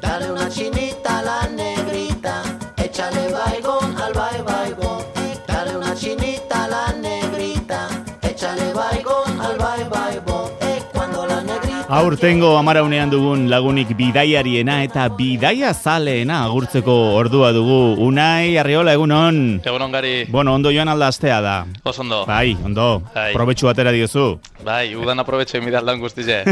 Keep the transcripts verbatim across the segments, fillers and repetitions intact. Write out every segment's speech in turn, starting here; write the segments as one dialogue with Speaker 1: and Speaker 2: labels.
Speaker 1: Dale una chinita a la negrita, échale baigón al bai baigón. Dale una chinita a la negrita, échale baigón al bai baigón. Eh, cuando la negrita...
Speaker 2: Aurtengo amaraunean dugun lagunik bidaiariena eta bidaia zaleena agurtzeko ordua dugu. Unai, Arriola, egunon.
Speaker 3: Egunon gari.
Speaker 2: Bueno, ondo joan alda astea da.
Speaker 3: Oso ondo.
Speaker 2: Bai, ondo.
Speaker 3: Bai.
Speaker 2: Probetxu atera diozu.
Speaker 3: Bai, udan aprobetxo emidal lan guztize.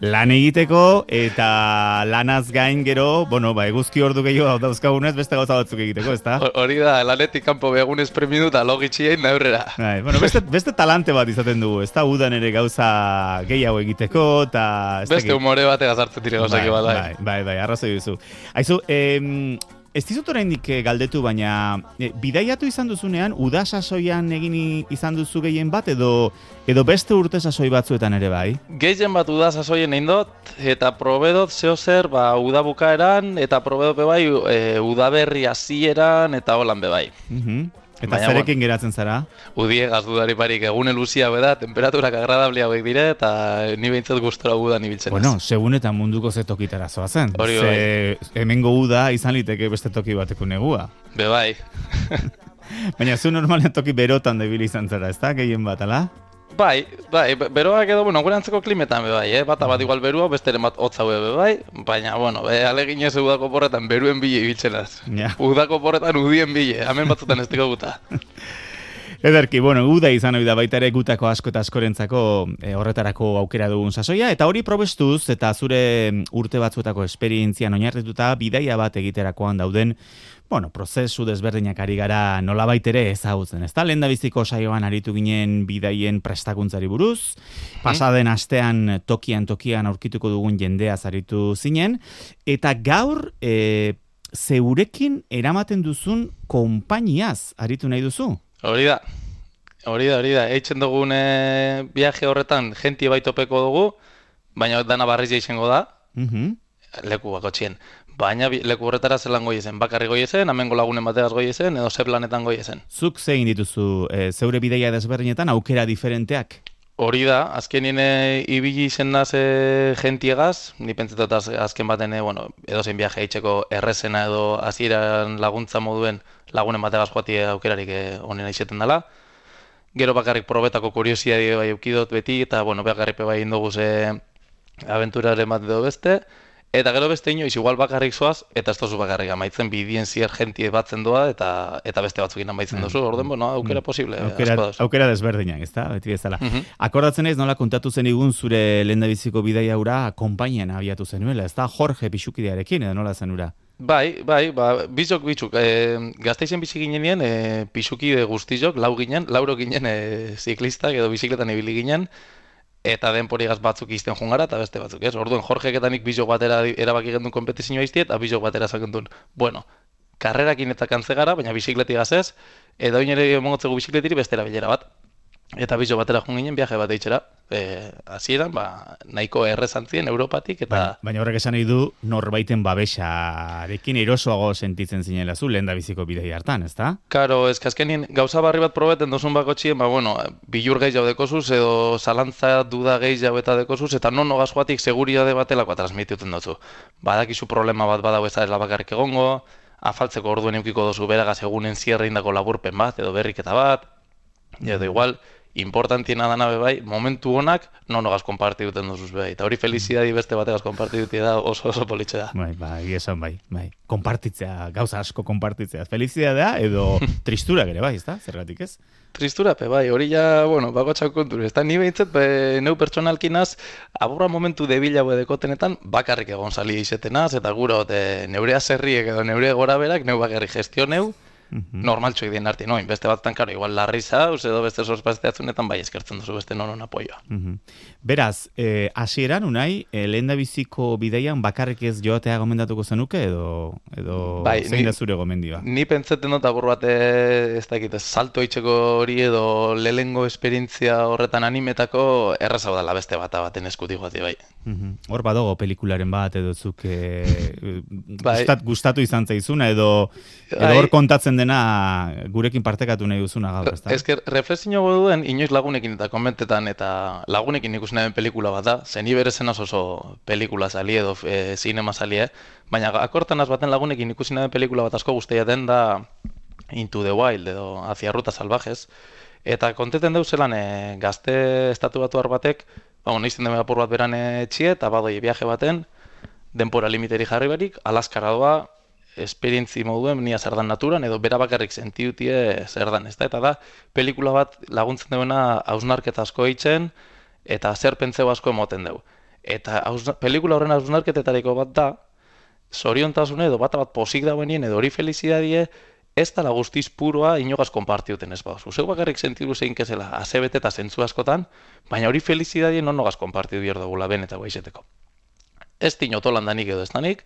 Speaker 2: Lan egiteko eta lanaz gain gero, bueno, ba, eguzki ordu gehiago dauzkagunez beste gauza batzuk egiteko, ezta?
Speaker 3: Hori da, lanetik kanpo begunez premidu da logitxien naurrera.
Speaker 2: Bai, bueno, beste, beste talante bat izaten dugu, ezta? Udan ere gauza gehiago egiteko eta...
Speaker 3: Beste humore bate gazartzen dire gauzak
Speaker 2: bai,
Speaker 3: bat,
Speaker 2: bai, bai, bai, arrazoi duzu. Aizu, em, ez dizut oraindik galdetu, baina e, bidaiatu izan duzunean, uda sasoian egin izan duzu gehien bat, edo edo beste urte sasoi batzuetan ere bai?
Speaker 3: Gehien bat uda sasoien egin dut, eta probedot zeo zer, ba, uda bukaeran, eta probedot bebai, e, udaberri hasieran eta holan bebai.
Speaker 2: Uh-huh. Eta
Speaker 3: Baina,
Speaker 2: zerekin geratzen zara?
Speaker 3: Udiegaz dudari parik, egune luzia beda, temperaturak agradablia hauek dire, eta ni behintzat gustora udan ibiltzen.
Speaker 2: Bueno, segun eta munduko ze tokitara zoazen.
Speaker 3: Hori
Speaker 2: Ze
Speaker 3: bai.
Speaker 2: hemengo uda izan liteke beste toki bateko negua.
Speaker 3: Be bai.
Speaker 2: Baina zu normalean toki berotan debili izan zara, ezta? Gehien bat, ala?
Speaker 3: Bai, bai, beroak edo, bueno, gure antzeko klimetan be bai, eh? Bata bat igual berua, besteren bat hotza be bai, baina, bueno, be, aleginez udako porretan beruen bile ibiltzenaz.
Speaker 2: Ja.
Speaker 3: Udako porretan udien bile, hemen batzutan ez diko guta.
Speaker 2: Ederki, bueno, uda izan hori da baita ere gutako asko eta askorentzako e, horretarako aukera dugun sasoia, eta hori probestuz eta zure urte batzuetako esperientzian oinarrituta bidaia bat egiterakoan dauden, bueno, prozesu desberdinak ari gara nolabait ere ezagutzen, ezta? Lehendabiziko saioan aritu ginen bidaien prestakuntzari buruz, pasaden astean tokian tokian aurkituko dugun jendeaz aritu zinen, eta gaur e, zeurekin eramaten duzun konpainiaz aritu nahi duzu?
Speaker 3: Hori da, hori da, hori da, eitzen dugun e, viaje horretan jentie baitopeko dugu, baina dana barrizia izango da,
Speaker 2: Mhm.
Speaker 3: leku bakotxien. Baina bi- leku horretara zelan goi ezen, bakarri goi ezen, amengo lagunen bategaz goi ezen, edo ze planetan goi ezen.
Speaker 2: Zuk zein dituzu e, zeure bidaia desberdinetan aukera diferenteak?
Speaker 3: Hori da, azkenien e, ibili izen naz e, gentiegaz, ni pentsetot az, azken baten, e, bueno, edo zein viaje eitzeko errezena edo hasieran laguntza moduen lagunen bategaz joati aukerarik e, onena izeten dela. Gero bakarrik probetako kuriosidade bai eukidot beti, eta bueno, bakarrik bai indogu ze aventuraren bat edo beste. Eta gero beste inoiz, igual bakarrik zoaz, eta ez tozu bakarrik amaitzen bidien zier jentie batzen doa, eta eta beste batzukin amaitzen dozu, orden, bueno, aukera posible.
Speaker 2: Aukera,
Speaker 3: asko dauz.
Speaker 2: aukera desberdinak, ezta? Beti bezala.
Speaker 3: Mhm.
Speaker 2: Akordatzen ez nola kontatu zen igun zure lehendabiziko bidaia hura konpainian abiatu zenuela, ezta? Jorge Pixukidearekin, edo nola zen hura?
Speaker 3: Bai, bai, ba, bizok bitxuk. E, Gazteizen bizi ginenien, e, pixukide guztizok, lau ginen, lauro ginen e, ziklistak edo bizikletan ibili ginen, eta denporigaz batzuk izten jungara eta beste batzuk, ez? Orduan, Jorgek eta nik bizok batera erabaki gendun kompetizioa izti, eta bizok batera zakendun. Bueno, karrerakin eta kantze gara, baina bizikletigaz ez, eta oin ere mongotzeko bizikletiri bestera bilera bat. Eta bizok batera jun ginen viaje bat eitzera. E, hasieran, ba, nahiko errezantzien Europatik, eta...
Speaker 2: Baina, baina horrek esan nahi du norbaiten babesarekin erosoago sentitzen zinela zu lehendabiziko bidaia hartan, ezta?
Speaker 3: Karo, ez azkenien gauza barri bat probeten dozun bakotxien, ba, bueno, bilur gehi jau dekozuz, edo zalantza duda gehi jau eta dekozuz, eta non nogaz joatik seguriade batelakoa transmituten dozu. Badakizu problema bat badau ez da bakarrik egongo, afaltzeko orduen eukiko dozu beragaz egunen zierre indako laburpen bat, edo berriketa bat, edo igual, importantiena dana bai, momentu honak non nogaz konparti duten duzuz bai. Eta hori felizidadi beste bategaz konparti dutia da oso oso politxe da.
Speaker 2: Bai, bai, esan bai, bai. Konpartitzea, gauza asko konpartitzea. Felizidadea edo tristura ere bai, ezta? Zergatik ez?
Speaker 3: Tristura, bai, hori ja, bueno, bakotxak konturu. Ez da, ni behintzat, be, neu pertsonalkinaz, aborra momentu debila dekotenetan, bakarrik egon sali izetenaz, eta gura, ote, neurea zerriek edo neure gora berak, neu bakarrik gestio neu, Mm-hmm. Normaltxoik dien arti, noin, beste batzutan, karo, igual larri zauz, edo beste sorpazteatzunetan bai eskertzen duzu beste nonon apoioa.
Speaker 2: Mm-hmm. Beraz, eh, hasieran unai, eh, lehen da biziko bideian bakarrik ez joatea gomendatuko zenuke, edo, edo
Speaker 3: bai,
Speaker 2: zein da zure gomendioa?
Speaker 3: Ni pentsatzen dut agur bate, ez dakit, salto itxeko hori edo lehengo esperientzia horretan animetako errazau dela beste bata baten eskutik joati bai.
Speaker 2: Mm-hmm. Hor badago pelikularen bat, edo zuk eh,
Speaker 3: bai.
Speaker 2: gustat, gustatu izan zaizuna, edo, edo hor kontatzen dena gurekin partekatu nahi duzuna gaur, ezta?
Speaker 3: Ez que reflexio duen inoiz lagunekin eta konbentetan eta lagunekin ikusi nahi pelikula bat da, zen iberezen oso pelikula sali edo e, cinema sali, eh? Baina akortan az baten lagunekin ikusi nahi pelikula bat asko guztiaten da Into the Wild edo Hacia Rutas Salvajes, eta konteten deu zelan e, gazte estatu batu batek, ba, bueno, izten deme apur bat beran etxie, eta badoi viaje baten, denpora limiteri jarri barik, Alaskara doa, esperientzi moduen nia zer dan naturan, edo bera bakarrik sentiutie zer dan, ez da? Eta da, pelikula bat laguntzen duena hausnarketa asko eitzen, eta zer pentseu asko emoten dugu. Eta hausna, pelikula horren hausnarketetariko bat da, zoriontasune edo bat bat posik dauenien, edo hori felizidadie, ez dala guztiz puroa inogaz konpartiuten ez bauzu. Zeu bakarrik sentidu zein kezela, azebete eta zentzu askotan, baina hori felizidadie non nogaz konpartidu bier dugula ben eta guaizeteko. Ez tinotolan danik edo ez danik,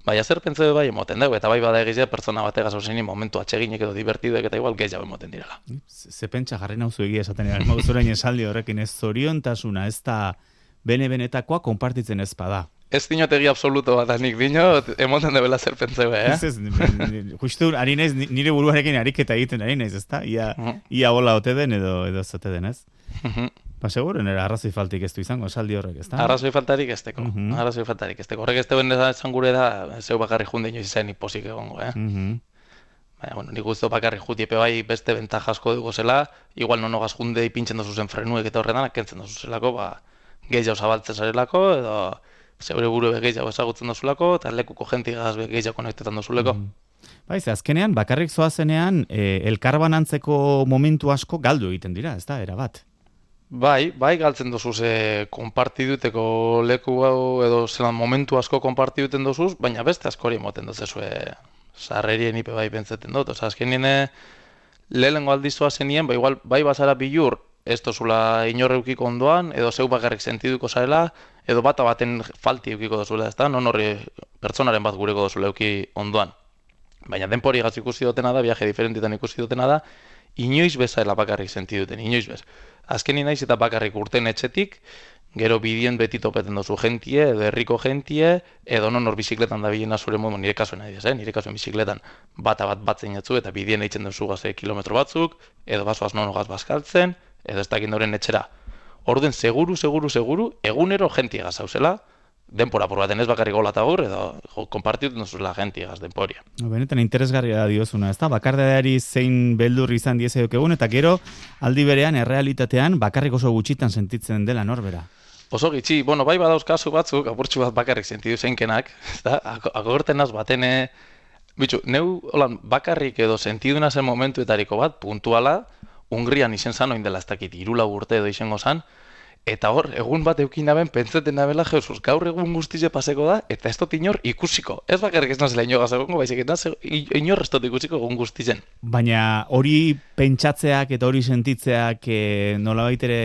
Speaker 3: baina zer pentseu bai emoten dugu, eta bai bada egizia pertsona bategaz hausenin momentu atseginek edo divertiduek eta igual gehiago emoten direla.
Speaker 2: Ze pentsa jarri nauzu egia esaten eran, mauzurain esaldi horrekin ez zoriontasuna, ez da bene-benetakoa konpartitzen ez bada.
Speaker 3: Ez dinotegi absoluto bat nik dinot, emoten debela zer pentseu, eh?
Speaker 2: Ez ez, justu ari naiz, nire buruarekin ariketa egiten ari naiz, ezta? Ia, uh-huh. ia hola ote den edo edo zote den, ez? Uh-huh. Ba, seguren, era arrazoi faltik ez du izango, esaldi horrek, ezta?
Speaker 3: Arrazoi faltarik ez teko, uh-huh. arrazoi faltarik ez teko. Horrek ez duen esan gure da, zeu bakarri junde inoiz izan iposik egongo, eh? Uh-huh. Baina, bueno, nik guztu bakarri jutiepe bai beste bentajasko dugu zela, igual nonogaz junde ipintzen dozu zen frenuek eta horretan, kentzen dozu zelako, ba, gehiago zabaltzen zarelako, edo zeure buru gehiago ezagutzen dozulako, eta lekuko jentigaz gehiago konektetan dozuleko. Mm.
Speaker 2: Baiz, azkenean, bakarrik zoazenean, e, elkarbanantzeko momentu asko galdu egiten dira, ez da, erabat?
Speaker 3: Bai, bai galtzen dozuz, e, konpartiduteko leku hau edo zelan momentu asko konpartiduten dozuz, baina beste askori emoten dozezu, e, sarrerien ipe bai pentseten dut. Oza, azkenien e, lehengo aldizua zenien, ba, igual, bai bazara bilur, ez dozula inorreukiko ondoan, edo zeu bakarrik sentiduko zarela, edo bata baten falti eukiko dozula, ez da? Non horri pertsonaren bat gureko dozula euki ondoan. Baina denpori gatz ikusi dutena da, viaje diferentitan ikusi dutena da, inoiz bezaela bakarrik sentiduten, inoiz bez. Azkenin naiz eta bakarrik urten etxetik, gero bidien beti topeten dozu gentie, edo herriko gentie, edo non hor bizikletan da bilena zure modu, nire kasuen nahi eh? nire kasuen bizikletan bata bat batzen jatzu, eta bidien eitzen duzu gaze kilometro batzuk, edo bazoaz nonogaz bazkaltzen, edo ez dakin doren etxera. Orduen, seguru, seguru, seguru, egunero gentiegaz hauzela, denpora por baten ez bakarrik gola eta gur, edo konpartituten duzula gentiegaz denporia.
Speaker 2: Benetan interesgarria diozuna, ez da? Bakardadeari zein beldur izan diezaiok egun, eta gero aldi berean, errealitatean, bakarrik oso gutxitan sentitzen dela norbera.
Speaker 3: Oso gitxi, bueno, bai badauz kasu batzuk, apurtxu bat bakarrik sentidu zeinkenak, ez da? Agortenaz batene, bitxu, neu holan, bakarrik edo sentiduna zen momentuetariko bat, puntuala, Hungrian izen zan, oin dela ez dakit, irula urte edo izango zan, eta hor, egun bat eukin naben, pentseten nabela, Jesus, gaur egun guztize paseko da, eta ez dut inor ikusiko. Ez bakarrik ez nazela inogaz egongo, baizik, ez inor ez dut ikusiko egun guztizen.
Speaker 2: Baina hori pentsatzeak eta hori sentitzeak e, nolabait ere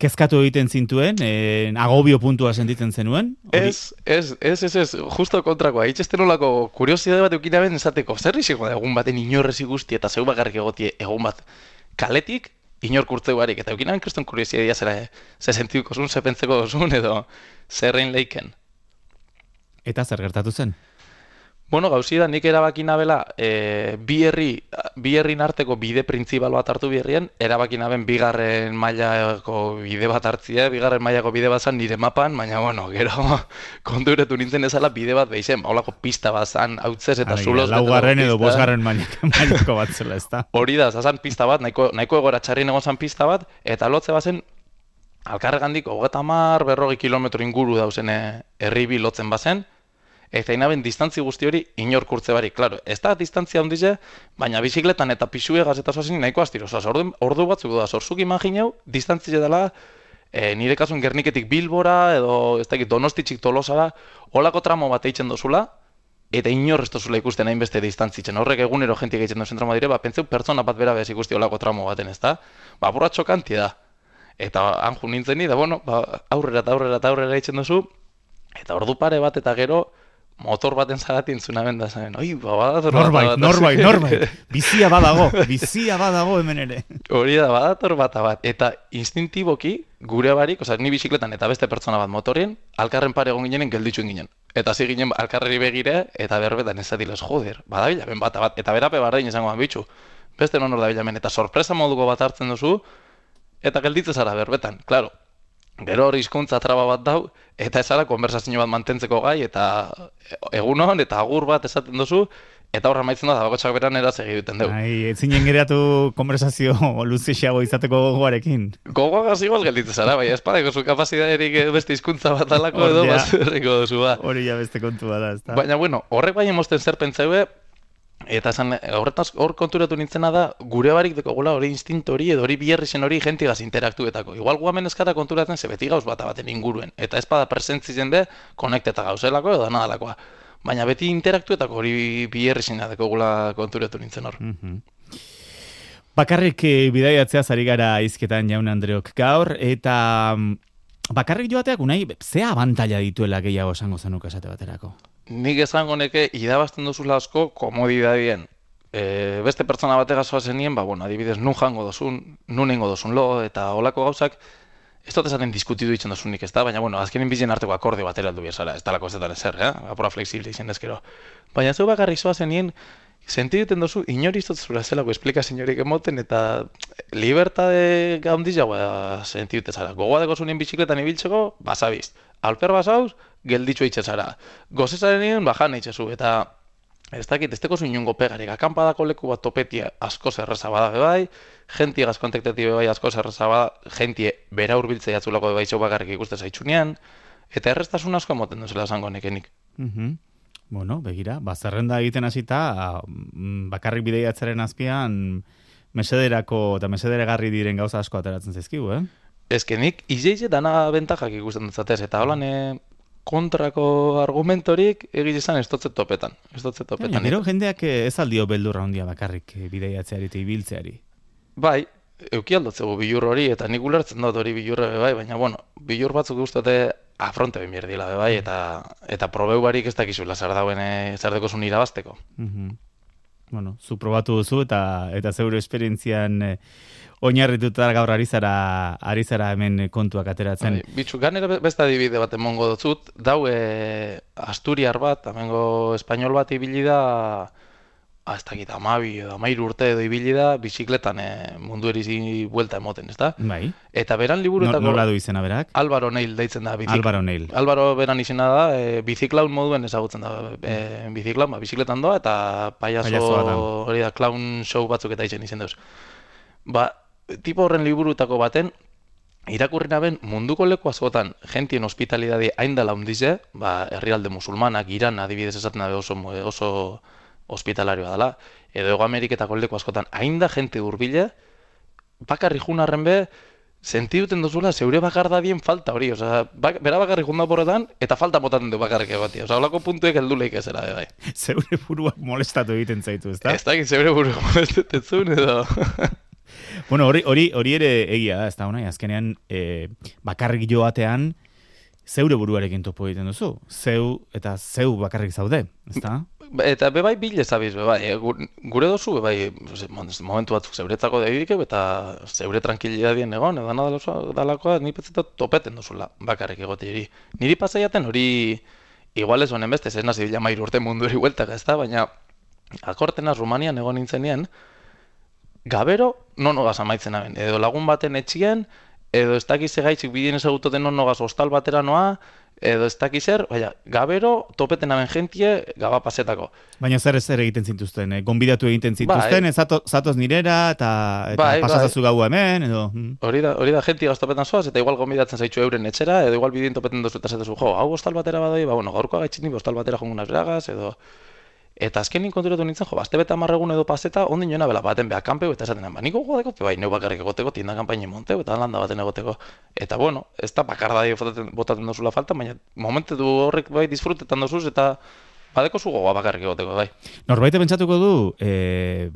Speaker 2: kezkatu egiten zintuen, e, agobio puntua sentitzen zenuen? Hori...
Speaker 3: Ez, ez, ez, ez, ez, justo kontrakoa. Itxesten olako kuriosidade bat eukin naben esateko, zer izango da egun baten inorrez ikusti eta zeu bakarrik egotie egun bat kaletik, inor kurtzeu barik, eta eukin naben kriston kuriosidadea zera, ze sentituko zuen, ze pentseko zuen, edo zerrein leiken.
Speaker 2: Eta zer gertatu zen?
Speaker 3: Bueno, gauzi da, nik erabaki nabela, e, bi herri, bi herrin arteko bide printzipal bat hartu bierrien, erabaki naben bigarren mailako bide bat hartzia, bigarren mailako bide bat zan nire mapan, baina, bueno, gero konturetu nintzen ezala bide bat behizen, haulako pista bat zan, hautzez eta zuloz.
Speaker 2: Laugarren edo bosgarren mailako bat zela, ez da?
Speaker 3: Hori da, zazan pista bat, nahiko, nahiko egora txarrin egon zan pista bat, eta lotze bazen, alkarregandik, hogeta mar, berrogi kilometro inguru dauzen herri bi lotzen bazen, eta inaben distantzi guzti hori inor kurtze barik. Claro, ez da distantzia handize, baina bizikletan eta pisuegaz eta zoazin nahiko astiro. Osa, ordu, ordu batzuk da, zorzuk imagineu, distantzia dela, e, nire kasuen Gerniketik Bilbora, edo ez dakit Donostitxik Tolosara, holako tramo bat eitzen dozula, eta inor ez dozula ikusten hainbeste distantzitzen. Horrek egunero jentik egiten duzen trauma dire, ba, pentseu pertsona bat bera bez ikusti olako tramo baten, ez da? Ba, burra txokanti da. Eta anju nintzen ni, da, bueno, ba, aurrera eta aurrera eta aurrera egiten duzu, eta ordu pare bat eta gero, motor baten zagatin zuna benda zen. Oi, ba, badator bat.
Speaker 2: Norbait, norbait, norbait. Bizia badago, bizia badago hemen ere.
Speaker 3: Hori da, badator bat bat. Eta instintiboki, gure barik, oza, ni bizikletan eta beste pertsona bat motorien, alkarren pare egon ginen, gelditxuen ginen. Eta hasi ginen alkarreri begire, eta berbetan ez zatiles, joder, badabila ben bat bat. Eta berape barrein izango bitxu. Beste non hor da bilamen, eta sorpresa moduko bat hartzen duzu, eta gelditze zara berbetan, klaro. Gero hori hizkuntza traba bat dau, eta ez zara konversazio bat mantentzeko gai, eta egunon, eta agur bat esaten duzu, eta horra maitzen da, bakotxak beran eraz egiten dugu.
Speaker 2: Ai, ez zinen geratu konversazio luzexeago izateko gogoarekin.
Speaker 3: Gogoagaz igual gelditze zara, bai, espadeko zu kapazidaderik beste hizkuntza bat alako edo, bat erriko duzu, ba.
Speaker 2: Hori ja beste kontu bada, ez da.
Speaker 3: Baina, bueno, horrek bai emosten zer pentsaue, eta esan, horretaz hor konturatu nintzena da, gure barik dekogula hori instinto hori edo hori biherrixen hori jentigaz interaktuetako. Igual guamen eskara konturatzen ze beti gauz bat baten inguruen. Eta ez bada presentzitzen de, konekteta gauzelako edo nadalakoa. Baina beti interaktuetako hori biherrixena dekogula konturatu nintzen hor.
Speaker 2: Mm-hmm. Bakarrik eh, bidaiatzea zari gara izketan Jaun Andreok gaur, eta bakarrik joateak unai, zea abantaila dituela gehiago esango zenuka esate baterako?
Speaker 3: Nik esango neke idabazten duzula asko komodidadien. E, beste pertsona batega zoazenien, ba, bueno, adibidez, nun jango dozun, nun ingo dozun lo, eta olako gauzak, ez dut esaten diskutidu ditzen dozunik, ez da? Baina, bueno, azkenin bizien arteko akorde batera aldu biezara, ez talako ez etan ezer, eh? Apura flexible izan dezkero. Baina zeu bakarrik zoazenien, sentiduten dozu, inori izotzura zelako esplika senyorik emoten, eta libertade gaundiz jagoa sentidute zara. Gogoa deko zunien bizikletan ibiltzeko, basabiz. Alper basauz, gelditxo itxezara. Gozesaren nien, bajan itxezu, eta ez dakit, ez teko zu inungo pegarik. Akampadako leku bat topetia asko zerreza bada bebai, jentie gazkontekteti bebai asko zerreza bada, jentie bera urbiltzea jatzulako bebai zeu bakarrik ikuste zaitxunean, eta erreztasun asko emoten duzela esango nekenik.
Speaker 2: Mm-hmm. Bueno, begira, bazerrenda egiten hasita, bakarrik bideiatzaren azpian, mesederako eta mesederegarri diren gauza asko ateratzen zaizkigu, eh?
Speaker 3: Ezkenik, izeize dana bentajak ikusten dutzatez, eta holan kontrako argumentorik egizizan ez dotze topetan. Ez dotze topetan.
Speaker 2: Ja, gero jendeak ez aldio beldurra handia bakarrik bideiatzeari eta ibiltzeari.
Speaker 3: Bai, euki aldotzegu bilur hori, eta nik ulertzen dut hori bilurre bebai, baina, bueno, bilur batzuk guztote afronte ben bierdila bebai, eta, eta probeu barik ez dakizula zer dauen zer deko zun irabazteko.
Speaker 2: Mm-hmm. Bueno, zu probatu duzu, eta, eta zeure esperientzian eh, oinarrituta gaur ari zara, ari zara hemen kontuak ateratzen.
Speaker 3: Bai, bitxu, ganera beste adibide bat emongo dutzut, dau e, asturiar bat, amengo espainol bat ibili da, ez dakit, amabi edo amairu urte edo ibili da, bizikletan e, mundu erizi buelta emoten, ez da?
Speaker 2: Bai.
Speaker 3: Eta beran liburutako...
Speaker 2: No, nola du izena berak?
Speaker 3: Álvaro Neil deitzen da. Bizik...
Speaker 2: Álvaro Neil.
Speaker 3: Álvaro beran izena da, e, biziklaun moduen ezagutzen da. E, biziklaun, ba, bizikletan doa, eta payaso hori da, clown show batzuk eta izen izen deuz. Ba, tipo horren liburutako baten, irakurrina ben munduko leku askotan jentien hospitalidade hain dela hundize, ba, herrialde musulmanak, Iran adibidez esaten da oso, oso hospitalarioa dela, edo Ego Ameriketako leku askotan hain da jente urbile, bakarri junarren be, sentiduten duzula zeure bakardadien falta hori, oza, bak, bera bakarri junda porretan, eta falta botaten du bakarrik egotia, oza, holako puntuek helduleik ezera, bai.
Speaker 2: Zeure buruak molestatu egiten zaitu, ez da?
Speaker 3: Ez dakit zeure buruak molestetetzun, edo...
Speaker 2: Bueno, hori, hori, hori ere egia da, ez da, honai, azkenean e, bakarrik joatean, zeure buruarekin topo egiten duzu, zeu eta zeu bakarrik zaude, ez da?
Speaker 3: Eta bebai bile zabiz, bebai, gure dozu, bebai, momentu batzuk zeuretzako daidike, eta zeure tranquilidadien egon, edo dalakoa, ni petzetat topeten duzula, bakarrik egoteri. Niri pasaiaten hori, igual ez honen beste, ez nazi bila mairu urte mundu eri hueltak, ez da, baina akortenaz Rumanian egon nintzenien, gabero nonogaz amaitzen aben, edo lagun baten etxien, edo ez dakiz egaitzik bidien ezagutoten nonogaz hostal batera noa, edo ez dakiz er, baina, gabero topeten aben jentie gaba pasetako.
Speaker 2: Baina zer zer egiten zintuzten, eh? Gonbidatu egiten zintuzten, bai. Zato, zatoz nirera, eta, eta bai, pasazazu bai. Gaua hemen, edo...
Speaker 3: Hori da, hori da jentie gaztopetan zoaz, eta igual gonbidatzen zaitxu euren etxera, edo igual bidien topeten dozu eta zatezu, jo, hau hostal batera badoi, ba, bueno, gaurko agaitxit ni hostal batera jongunaz beragaz, edo... Eta azkenin konturatu nintzen, jo, bazte beta marregun edo paseta, ondin joena bela baten beha kanpeu, eta esaten, ba, niko godeko, bai, neu bakarrik egoteko, tienda kampaini monteu, eta landa baten egoteko. Eta, bueno, ez da bakardadi botaten dozula falta, baina momentu du horrek bai disfrutetan dozuz, eta badeko zu gogoa bakarrik egoteko, bai.
Speaker 2: Norbaite pentsatuko du, e,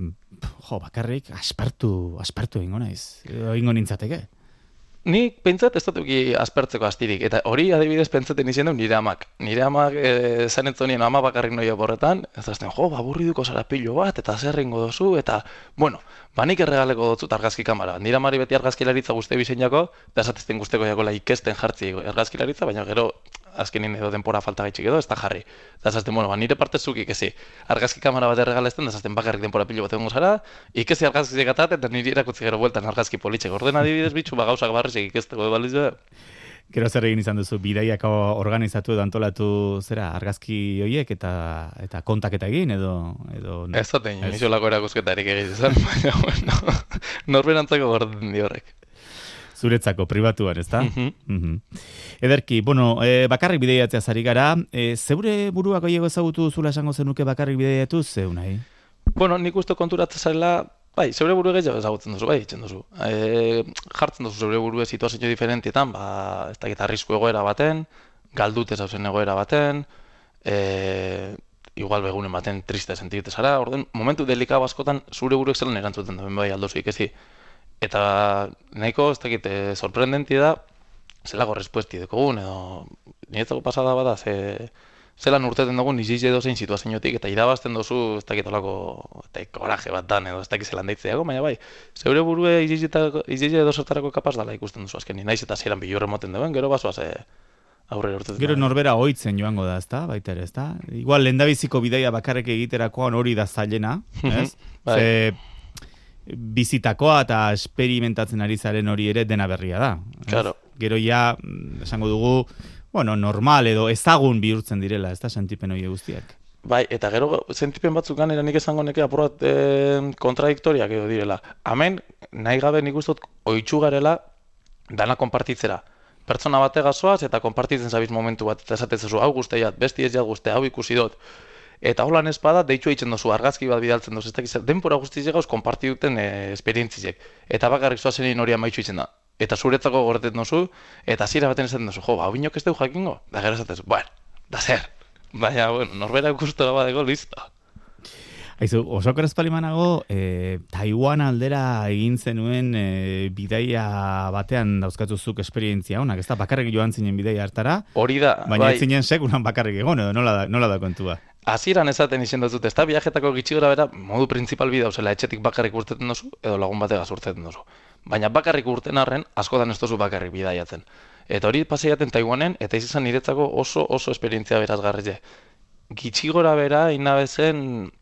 Speaker 2: jo, bakarrik aspertu, aspertu egingo naiz, egingo nintzateke.
Speaker 3: Nik pentsat ez dut eki aspertzeko astirik, eta hori adibidez pentsaten izan du nire amak. Nire amak e, zen entzonien ama bakarrik noia borretan, ez azten, jo, baburriduko zara pilo bat, eta zer egingo dozu, eta, bueno, banik erregaleko dutzu argazki kamara. Nire amari beti argazkilaritza guzti bizeinako, eta esatezten guzteko jakola ikesten jartzi argazkilaritza, baina gero azkenin edo denpora falta gaitxik edo, ez da jarri. Eta esazten, bueno, ba, nire parte zukik ezi, argazki kamara bat erregalezten, da esazten bakarrik denpora pilo bat egongo zara, ikezi argazkizik atat, eta niri erakutzi gero bueltan argazki politxek. Orden adibidez bitxu, ba, gauzak barrizek ikesteko baliz da.
Speaker 2: Gero zer egin izan duzu, bidaiak organizatu edo antolatu zera, argazki horiek eta eta kontaketa egin edo... edo
Speaker 3: ez da tein, nixolako erakuzketarik egin izan, baina, bueno, norberantzako gordin di horrek.
Speaker 2: Zuretzako, pribatuan, ez da?
Speaker 3: Mhm.
Speaker 2: Mhm. Ederki, bueno, e, bakarrik bidaiatzea zari gara, e, zeure buruak oiego ezagutu zula esango zenuke bakarrik bidaiatu, zeu nahi?
Speaker 3: Bueno, nik uste konturatzen zarela, bai, zeure buru gehiago ezagutzen duzu, bai, itzen duzu. E, jartzen duzu zeure buru situazio diferentietan, ba, ez dakit arrisku egoera baten, galdute zauzen egoera baten, e, igual begunen baten triste sentiute zara, orden, momentu delikabo askotan zure buruek zelan erantzuten duen, bai, aldozu ikezi. Eta nahiko, ez dakit, e, sorprendenti da, zelako respuesti dekogun, edo niretzako pasada bada, ze, zelan urteten dugun izize dozein situaziotik, eta irabazten dozu, ez dakit olako, eta koraje bat dan, edo ez dakit zelan daitzeago, baina bai, zeure burue izize dozertarako kapaz dala ikusten duzu azken, naiz eta zelan bilurre moten duen, gero basoaz e, aurrera urtetzen.
Speaker 2: Gero norbera ohitzen joango da, ezta, baita ere, ezta? Igual lehendabiziko bidaia bakarrik egiterakoan hori da zailena, ez?
Speaker 3: Bai.
Speaker 2: Ze, bizitakoa eta experimentatzen ari zaren hori ere dena berria da. Ez?
Speaker 3: Claro.
Speaker 2: Gero ja, esango dugu, bueno, normal edo ezagun bihurtzen direla, ez da, sentipen hori guztiak.
Speaker 3: Bai, eta gero sentipen batzuk ganera nik esango neke apurat e, kontradiktoriak edo direla. Hemen, nahi gabe nik uste dut oitxu garela dana konpartitzera. Pertsona bategazoaz eta konpartitzen zabiz momentu bat, eta esatezu, hau guztiat, besti ez jat guzti, hau ikusi dut. Eta holan espada, deitu eitzen dozu, argazki bat bidaltzen dozu, ez dakiz, denpora guztiz gauz konparti duten e, esperientzizek. Eta bakarrik zoazenin hori amaitxu eitzen da. Eta zuretzako goreten dozu, eta zira baten esaten dozu, jo, hau binok ez dugu jakingo? Da gero esatezu, bueno, da zer. Baina, bueno, norbera ikustu badego, listo.
Speaker 2: Aizu, oso korezpalimanago, e, Taiwan aldera egin zenuen e, bidaia batean dauzkatuzuk esperientzia honak, ez da, bakarrik joan zinen bidaia hartara,
Speaker 3: hori da,
Speaker 2: baina
Speaker 3: bai,
Speaker 2: ez zinen sekulan bakarrik egon, edo nola da, nola da kontua?
Speaker 3: hasieran esaten izen dut, ez da, viajetako gitxi gora bera, modu principal bidea, osela, etxetik bakarrik urteten dozu, edo lagun bategaz urteten dozu. Baina bakarrik urten arren, askotan ez dozu bakarrik bidaiatzen. Eta hori paseiaten Taiwanen, eta izan niretzako oso oso esperientzia berazgarri. Gitxi gora bera, inabezen,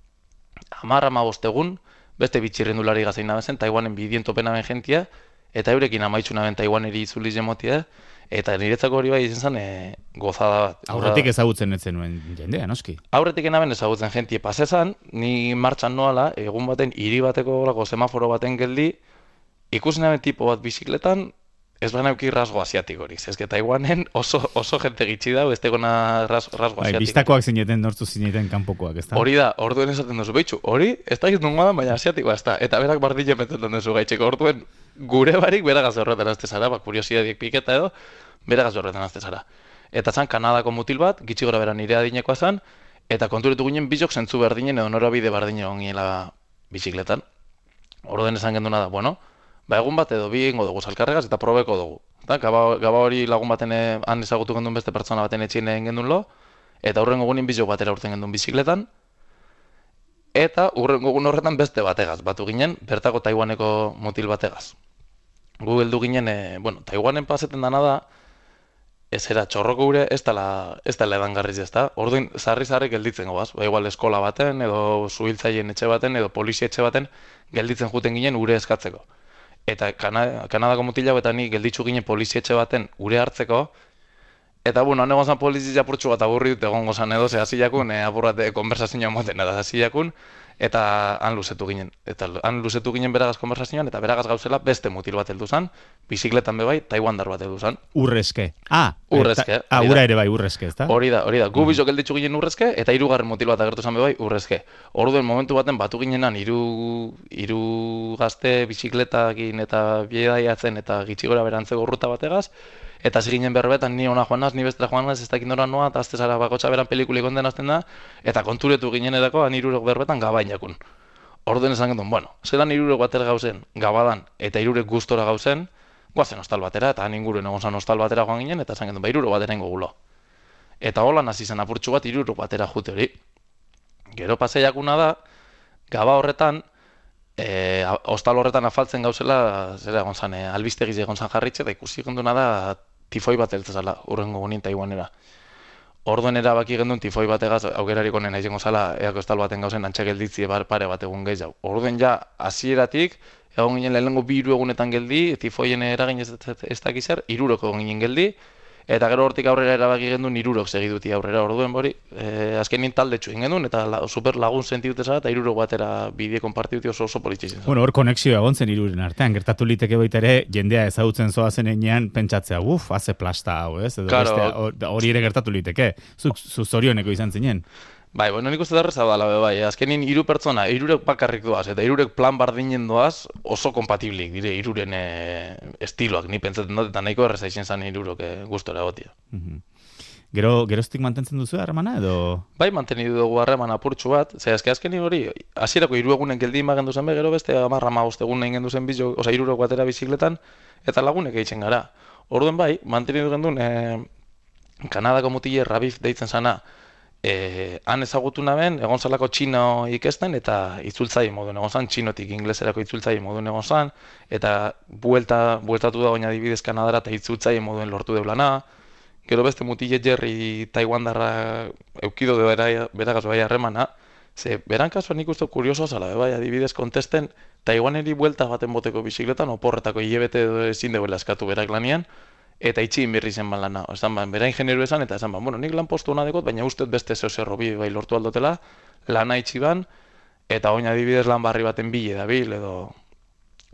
Speaker 3: hamar hamabost egun, beste bitxirrendulari gaza inabezen, Taiwanen bidien topenaben jentia, eta eurekin amaitxunaben Taiwaneri itzuliz jemotia, eta niretzako hori bai izan zen e, gozada bat.
Speaker 2: Aurretik ezagutzen etzen nuen jendea, noski?
Speaker 3: Aurretik enaben ezagutzen jentie pasezan, ni martxan noala, egun baten hiri bateko olako semaforo baten geldi, ikusi naben tipo bat bizikletan, ez baina euki rasgo asiatikorik. Ez que Taiwanen oso, oso jente gitxi da, ez tegona ras, rasgo
Speaker 2: bai,
Speaker 3: asiatikorik.
Speaker 2: biztakoak zineten, nortu zineten kanpokoak, ez da?
Speaker 3: Hori da, orduen esaten duzu, behitxu, hori, ez da giztun da, baina asiatikoa ez da. Eta berak bardile pentsetan duzu gaitxeko, orduen gure barik beragaz horretan azte zara, ba, kuriosiadiek piketa edo, beragaz horretan azte zara. Eta zan Kanadako mutil bat, gitxi gora bera nire adinekoa zan, eta konturetu ginen bizok zentzu berdinen edo norabide berdinen ongiela bizikletan. Orduen esan genduna da, bueno, ba egun bat edo bi egingo dugu salkarregaz eta probeko dugu. Eta gaba, gaba hori lagun baten han ezagutu gendun beste pertsona baten etxien egin gendun lo, eta hurrengo egunin bizok batera urten gendun bizikletan, eta hurrengo egun horretan beste bategaz, batu ginen, bertako Taiwaneko mutil bategaz. Gu heldu ginen, e, bueno, Taiwanen paseten dana da, ez era txorroko gure, ez dela ez dela edangarriz ez da. Orduin, zarri-zarri gelditzen goaz, ba, igual eskola baten, edo zuhiltzaien etxe baten, edo polizia etxe baten, gelditzen juten ginen ure eskatzeko. Eta Kana, Kanadako mutila eta ni gelditzu ginen polizietxe baten ure hartzeko, eta bueno, nego zan polizia apurtxu bat aburri dut egongo zan edo, ze hasi jakun, e, apurrate konversazioa moten, eta hasi jakun, eta han luzetu ginen. Eta han luzetu ginen beragaz konversazioan, eta beragaz gauzela beste mutil bat heldu zan, bizikletan be bai, Taiwandar bat heldu zan.
Speaker 2: Urrezke. Ah,
Speaker 3: urrezke.
Speaker 2: Ah, ura ere bai, urrezke, ez da?
Speaker 3: Hori da, hori da. Gu bizok gelditzu ginen urrezke, eta hirugarren mutil bat agertu zan be bai, urrezke. Orduen momentu baten batu ginenan hiru hiru gazte bizikletakin eta biedaiatzen eta gitxi gora berantzeko urruta bategaz, Eta ziginen berbetan, ni ona joan naz, ni bestera joan naz, ez dakit nora noa, eta azte zara bakotxa beran pelikulik onden azten da, eta konturetu ginen edako, anirurek berbetan gabain jakun. Orduen esan gendun, bueno, zelan irurek batera gauzen, gabadan, eta irurek gustora gauzen, guazen hostal batera, eta ninguruen egon zan hostal batera joan ginen, eta esan gendun, ba, irurek batera ingo gulo. Eta hola nazi zen apurtxu bat irurek batera jute hori. Gero paseiakuna da, gaba horretan, e, hostal horretan afaltzen gauzela, zera egon zan, e, albistegiz egon zan jarritxe, eta ikusi genduna da tifoi bat eltzazala, urrengo gunin Taiwanera. Orduen erabaki gendun tifoi bategaz, aukerarik honen aizengo zala, eako estal baten gauzen antxa gelditzi pare bat egun gehiago. Orduen ja, hasieratik egon ginen lehenengo bi hiru egunetan geldi, tifoien eragin ez, ez, ez dakizer, iruroko egon ginen geldi, eta gero hortik aurrera erabaki gendun irurok segiduti aurrera. Orduen bori, e, azkenin talde txuin gendun, eta la, super lagun sentiduteza, eta irurok batera bideo konpartiduti oso oso politxizien.
Speaker 2: Bueno, hor konexioa egon zen iruren artean, gertatu liteke baita ere, jendea ezagutzen zoazen enean, pentsatzea, uf, haze plasta hau, ez? Edo
Speaker 3: Claro.
Speaker 2: bestea, hori ere gertatu liteke, zuk zu zorioneko izan zinen.
Speaker 3: Bai, bueno, nik uste darreza dala be bai, azkenin hiru pertsona, hirurek bakarrik doaz, eta hirurek plan bardinen doaz, oso kompatiblik dire hiruren e, estiloak, ni pentsatzen dut, eta nahiko erreza izen zan hirurok e, gustora egotia.
Speaker 2: Mhm. Gero, geroztik mantentzen duzu harremana edo?
Speaker 3: Bai, mantenidu dugu harreman apurtxu bat, ze azke azkenin hori, hasierako hiru egunen geldi magendu zen be, gero beste hamarra hamabost egun egin gendu zen bizo, oza, hirurok batera bizikletan, eta lagunek eitzen gara. Orduen bai, mantenidu gendun, e, Kanadako mutile Rabif deitzen zana, E, han ezagutu naben, egon zalako txino ikesten, eta itzultzaile moduen egon zan, txinotik ingleserako itzultzaile moduen egon zan, eta buelta, bueltatu da oina adibidez Kanadara, eta itzultzaile moduen lortu deulana. Gero beste mutile Jerry Taiwandarra eukido de bera, beragaz bai harremana, ze beran kasuan nik uste kurioso zala, bai adibidez kontesten, Taiwaneri buelta baten boteko bizikletan, oporretako hilebete ezin deuela eskatu berak lanian, eta itxin berri zen ban lana. Esan ban, bera ingenieru esan, eta esan ban, bueno, nik lan postu hona dekot, baina uste beste zeo zerro bi bai lortu aldotela, lana itxi ban, eta oin adibidez lan barri baten bile da bil, edo...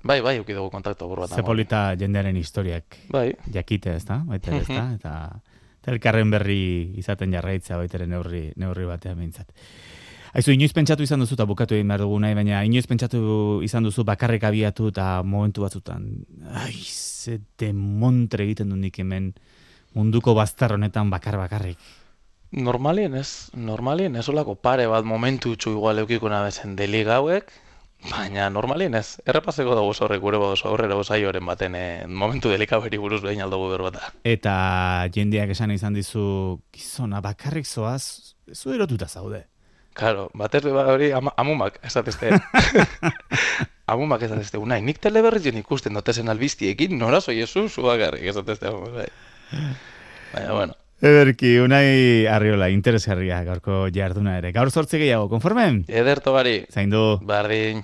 Speaker 3: Bai, bai, euki dugu kontaktu buru bat.
Speaker 2: Zepolita jendearen historiak
Speaker 3: bai.
Speaker 2: Jakite, ez da? Baita, ez da? Eta, eta elkarren berri izaten jarraitza baita ere neurri, neurri batean behintzat. Aizu, inoiz pentsatu izan duzu, eta bukatu egin behar dugu nahi, baina inoiz pentsatu izan duzu bakarrik abiatu eta momentu batzutan, ai, ze demontre egiten du nik hemen munduko bazter honetan bakar bakarrik.
Speaker 3: Normalien ez, normalien ez olako pare bat momentu txu igual eukiko nabezen deli gauek, baina normalien ez. Errepaseko dugu zorrek gure bodozo aurrera osaioaren baten eh, momentu delikaberi buruz behin aldugu berbata.
Speaker 2: Eta jendeak esan izan dizu, gizona bakarrik zoaz, zu erotuta zaude.
Speaker 3: Claro, batez be hori ama, amumak esatezte. Amumak esatezte, unai, nik teleberritzen ikusten dotezen albiztiekin, nora zoi esu, zu bakarrik esatezte. Bai. Baina, bueno.
Speaker 2: Ederki, Unai Arriola, interesgarria gaurko jarduna ere. Gaur zortzi gehiago, konformen?
Speaker 3: Ederto gari.
Speaker 2: Zaindu.
Speaker 3: Bardin.